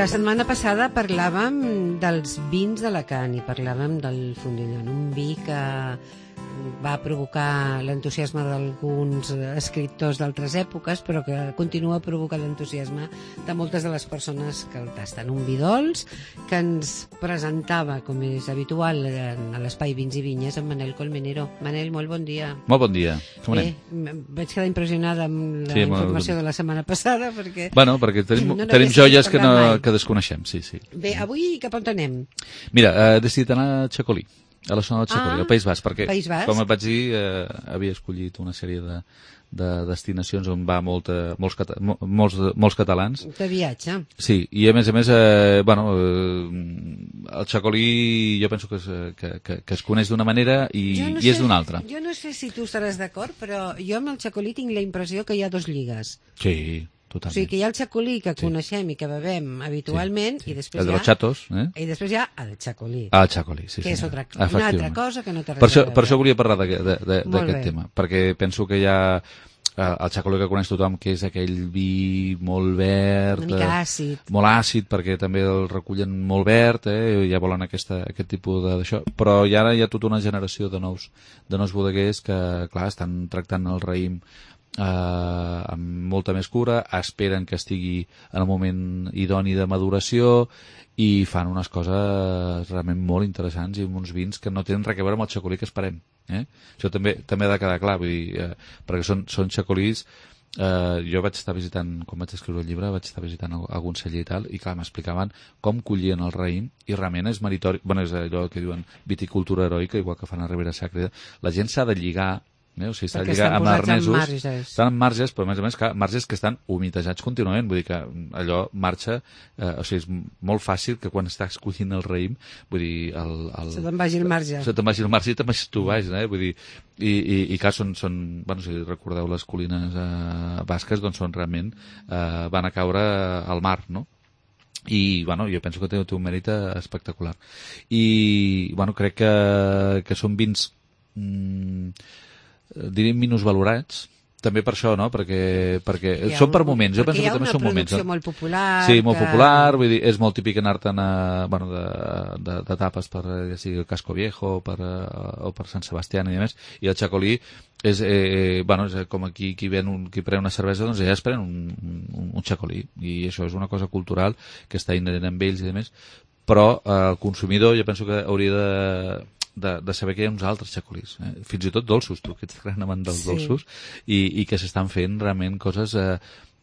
La setmana passada parlàvem dels vins d'Alacant i parlàvem del Fondillon, un vi que va provocar l'entusiasme d'alguns escriptors d'altres èpoques, però que continua provocant l'entusiasme de moltes de les persones que el tasten. Un vi dolç que ens presentava, com és habitual, a l'espai Vins i Vinyes, en Manel Colmenero. Manel, molt bon dia. Molt bon dia. Com anem? Vaig quedar impressionada amb la informació de la setmana passada, perquè... Bueno, perquè tenim joies que desconeixem, sí. Bé, avui cap on anem? Mira, he decidit anar a Txakolí, a la zona del Txakolí, al País Basc, perquè, com et vaig dir, havia escollit una sèrie de destinacions on va molts catalans. De viatge. Sí, i a més, el Txakolí jo penso que es coneix d'una manera i és d'una altra. Jo no sé si tu estaràs d'acord, però jo amb el Txakolí tinc la impressió que hi ha dos lligues. Sí, totalment. O sigui, que hi ha el Txakolí que coneixem i que bebem habitualment, i després el de los chatos, i després hi ha el Txakolí. Ah, el Txakolí, sí. Que és una altra cosa que no té res a veure. Per això volia parlar d'aquest tema, perquè penso que hi ha el Txakolí que coneix tothom, que és aquell vi molt verd, una mica àcid. Molt àcid, perquè també el recullen molt verd, ja volen aquest tipus d'això, però i ara hi ha tota una generació de nous bodeguers que, clar, estan tractant el raïm amb molta més cura, esperen que estigui en el moment idoni de maduració i fan unes coses realment molt interessants i amb uns vins que no tenen res a veure amb el Txakolí que esperem. Això també ha de quedar clar, vull dir, perquè són Txakolís. Jo vaig estar visitant, quan vaig escriure el llibre, vaig estar visitant algun celler i tal, i clar, m'explicaven com collien el raïm, i realment és meritori, és allò que diuen viticultura heroica, igual que fan a Ribera Sacra. La gent s'ha de lligar, o sigui, s'ha de lligar amb arnesos, estan en marges, però a més, clar, marges que estan humitejats contínuament, vull dir que allò marxa, o sigui, és molt fàcil que quan estàs collint el raïm, vull dir, se te'n vagi el marge. Se te'n vagi el marge i te'n vagi tu baix, vull dir, i clar, són, bueno, si recordeu les collines basques, doncs són realment, van a caure al mar, no? I, bueno, jo penso que té un mèrit espectacular. I, bueno, crec que són vins diríem minusvalorats, també per això, no? Perquè són per moments, jo penso que també són moments. Hi ha una producció molt popular. Sí, molt popular, vull dir, és molt típic anar-te'n de tapes per, ja sigui el Casco Viejo o per Sant Sebastián i més, i el Txakolí és com aquí qui pren una cervesa, doncs ja es pren un Txakolí, i això és una cosa cultural que està inherent amb ells i més, però el consumidor jo penso que hauria de saber que hi ha uns altres Txakolís, fins i tot dolços, tu que ets gran amant dels dolços, i que s'estan fent realment coses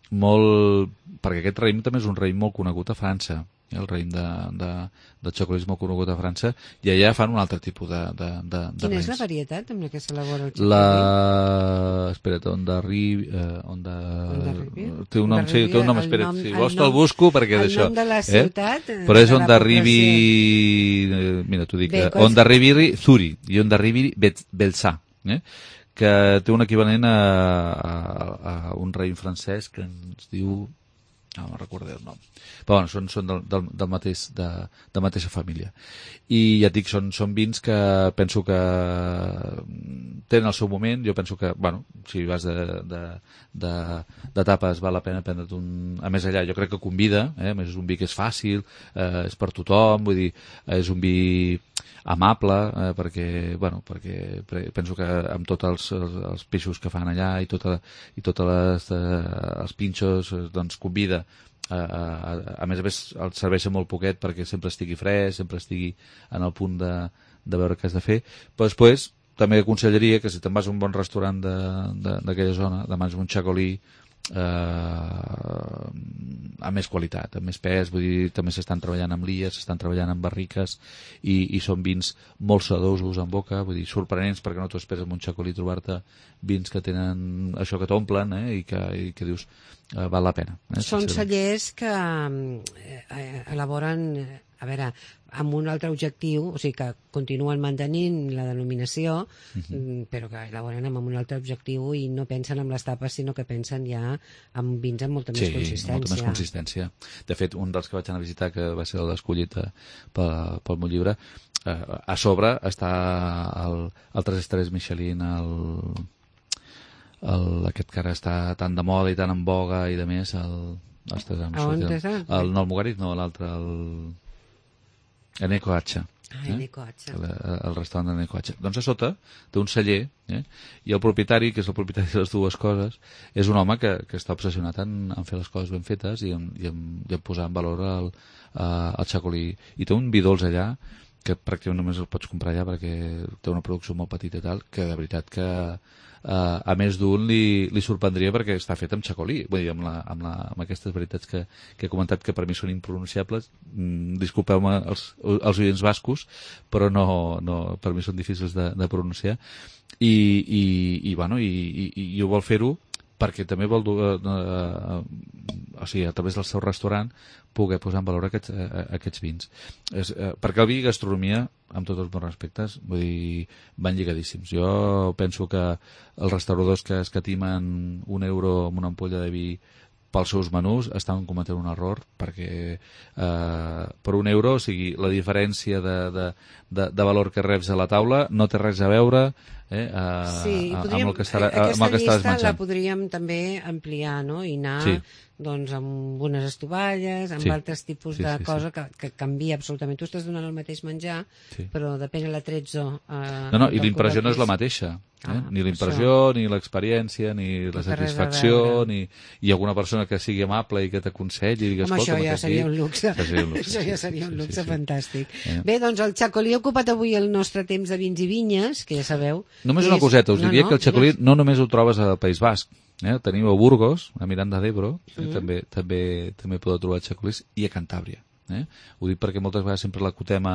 molt... perquè aquest raïm també és un raïm molt conegut a França, el raïm de Txakolí és molt conegut a França, i allà fan un altre tipus de Quina és la varietat amb la que s'elabora el Txakolí? Espera't, té un nom, espera't, si vols te'l busco perquè d'això. El nom de la ciutat? Però és Ondarribi, mira, t'ho dic, Ondarribi Zuri i Ondarribi Belçà, que té un equivalent a un raïm francès que ens diu... no me'n recordo el nom, però bueno, són del mateixa família, i ja et dic, són vins que penso que tenen el seu moment. Jo penso que, bueno, si vas de tapes val la pena prendre't a més allà, jo crec que convida, a més és un vi que és fàcil, és per tothom, vull dir, és un vi amable, perquè penso que amb tots els peixos que fan allà i tots els pinxos, doncs convida. A més el serveixen molt poquet perquè sempre estigui fresc, sempre estigui en el punt de veure què has de fer, però després també aconsellaria que si te'n vas a un bon restaurant d'aquella zona, demanes un Txakolí amb més qualitat, amb més pes, vull dir, també s'estan treballant amb lies, s'estan treballant amb barriques, i són vins molt sedosos en boca, vull dir, sorprenents, perquè no t'ho esperes amb un Txakolí trobar-te vins que tenen això que t'omplen, i que dius val la pena. Són cellers que elaboren, a veure, amb un altre objectiu, o sigui que continuen mantenint la denominació, però que elaboren amb un altre objectiu i no pensen en les tapes, sinó que pensen ja en vins amb molta més consistència. Sí, molta més consistència. De fet, un dels que vaig anar a visitar, que va ser l'escollit pel meu llibre, a sobre està el 3 estrelles Michelin, aquest que ara està tan de moda i tan en boga i de més, Ostres, on és? el Almogàriz, no, l'altre, Eneco Hacha. Eneco Hacha. El restaurant d'Eneco Hacha. Doncs a sota té un celler, i el propietari, que és el propietari de les dues coses, és un home que està obsessionat en fer les coses ben fetes i en posar en valor el xacolí. I té un vi dolç allà que pràcticament només el pots comprar allà perquè té una producció molt petita i tal, que de veritat que a més d'un li sorprendria perquè està fet amb xacolí, vull dir, amb aquestes veritats que he comentat que per mi són impronunciables. Disculpeu-me els oients bascos, però no, per mi són difícils de pronunciar, i ho vol fer-ho perquè també vol o sigui, a través del seu restaurant poder posar en valor aquests vins. Perquè el vi i gastronomia, amb tots els meus respectes, vull dir, van lligadíssims. Jo penso que els restauradors que escatimen €1 amb una ampolla de vi pels seus menús estan cometent un error, perquè per €1, o sigui, la diferència de valor que reps a la taula no té res a veure amb el que estàs menjant. Aquesta llista la podríem també ampliar, no? I anar doncs amb unes estovalles, amb altres tipus de cosa que canvia absolutament. Tu estàs donant el mateix menjar, però depèn de l'atrezzo. No, i l'impressió no és la mateixa. Ni l'impressió, ni l'experiència, ni la satisfacció, ni alguna persona que sigui amable i que t'aconselli i digues, això ja seria un luxe. Això ja seria un luxe fantàstic. Bé, doncs el xacolí ha ocupat avui el nostre temps de vins i vinyes, que ja sabeu. Només una coseta, us diria que el xacolí no només ho trobes al País Basc. Teniu a Burgos, a Miranda d'Ebro, també podeu trobar xacolís, i a Cantàbria. Ho dic perquè moltes vegades sempre l'acotem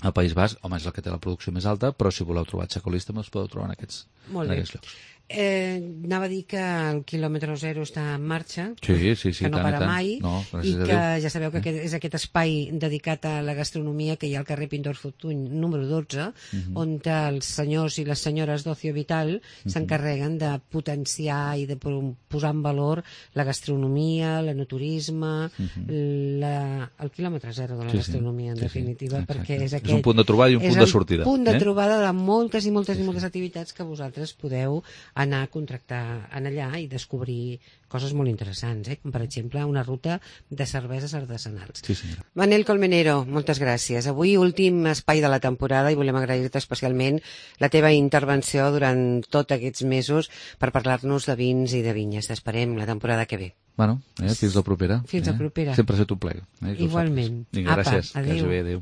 al País Basc. Home, és el que té la producció més alta, però si voleu trobar xacolís també els podeu trobar en aquests llocs. Anava a dir que el quilòmetre zero està en marxa, sí, que no para mai, i que ja sabeu que és aquest espai dedicat a la gastronomia que hi ha al carrer Pintor Fortuny número 12, on els senyors i les senyores d'Ocio Vital s'encarreguen de potenciar i de posar en valor la gastronomia, l'enoturisme, el quilòmetre zero de la gastronomia, en definitiva, perquè és un punt de trobada i un punt de sortida. És el punt de trobada de moltes i moltes i moltes activitats que vosaltres podeu anar a contractar en allà i descobrir coses molt interessants, com per exemple una ruta de cerveses artesanals. Sí, senyora. Manel Colmenero, moltes gràcies. Avui últim espai de la temporada i volem agrair-te especialment la teva intervenció durant tots aquests mesos per parlar-nos de vins i de vinyes. T'esperem la temporada que ve. Bueno, fins la propera. Fins la propera. Sempre ha estat un plaer. Igualment. Vinga, gràcies. Adéu. Adéu.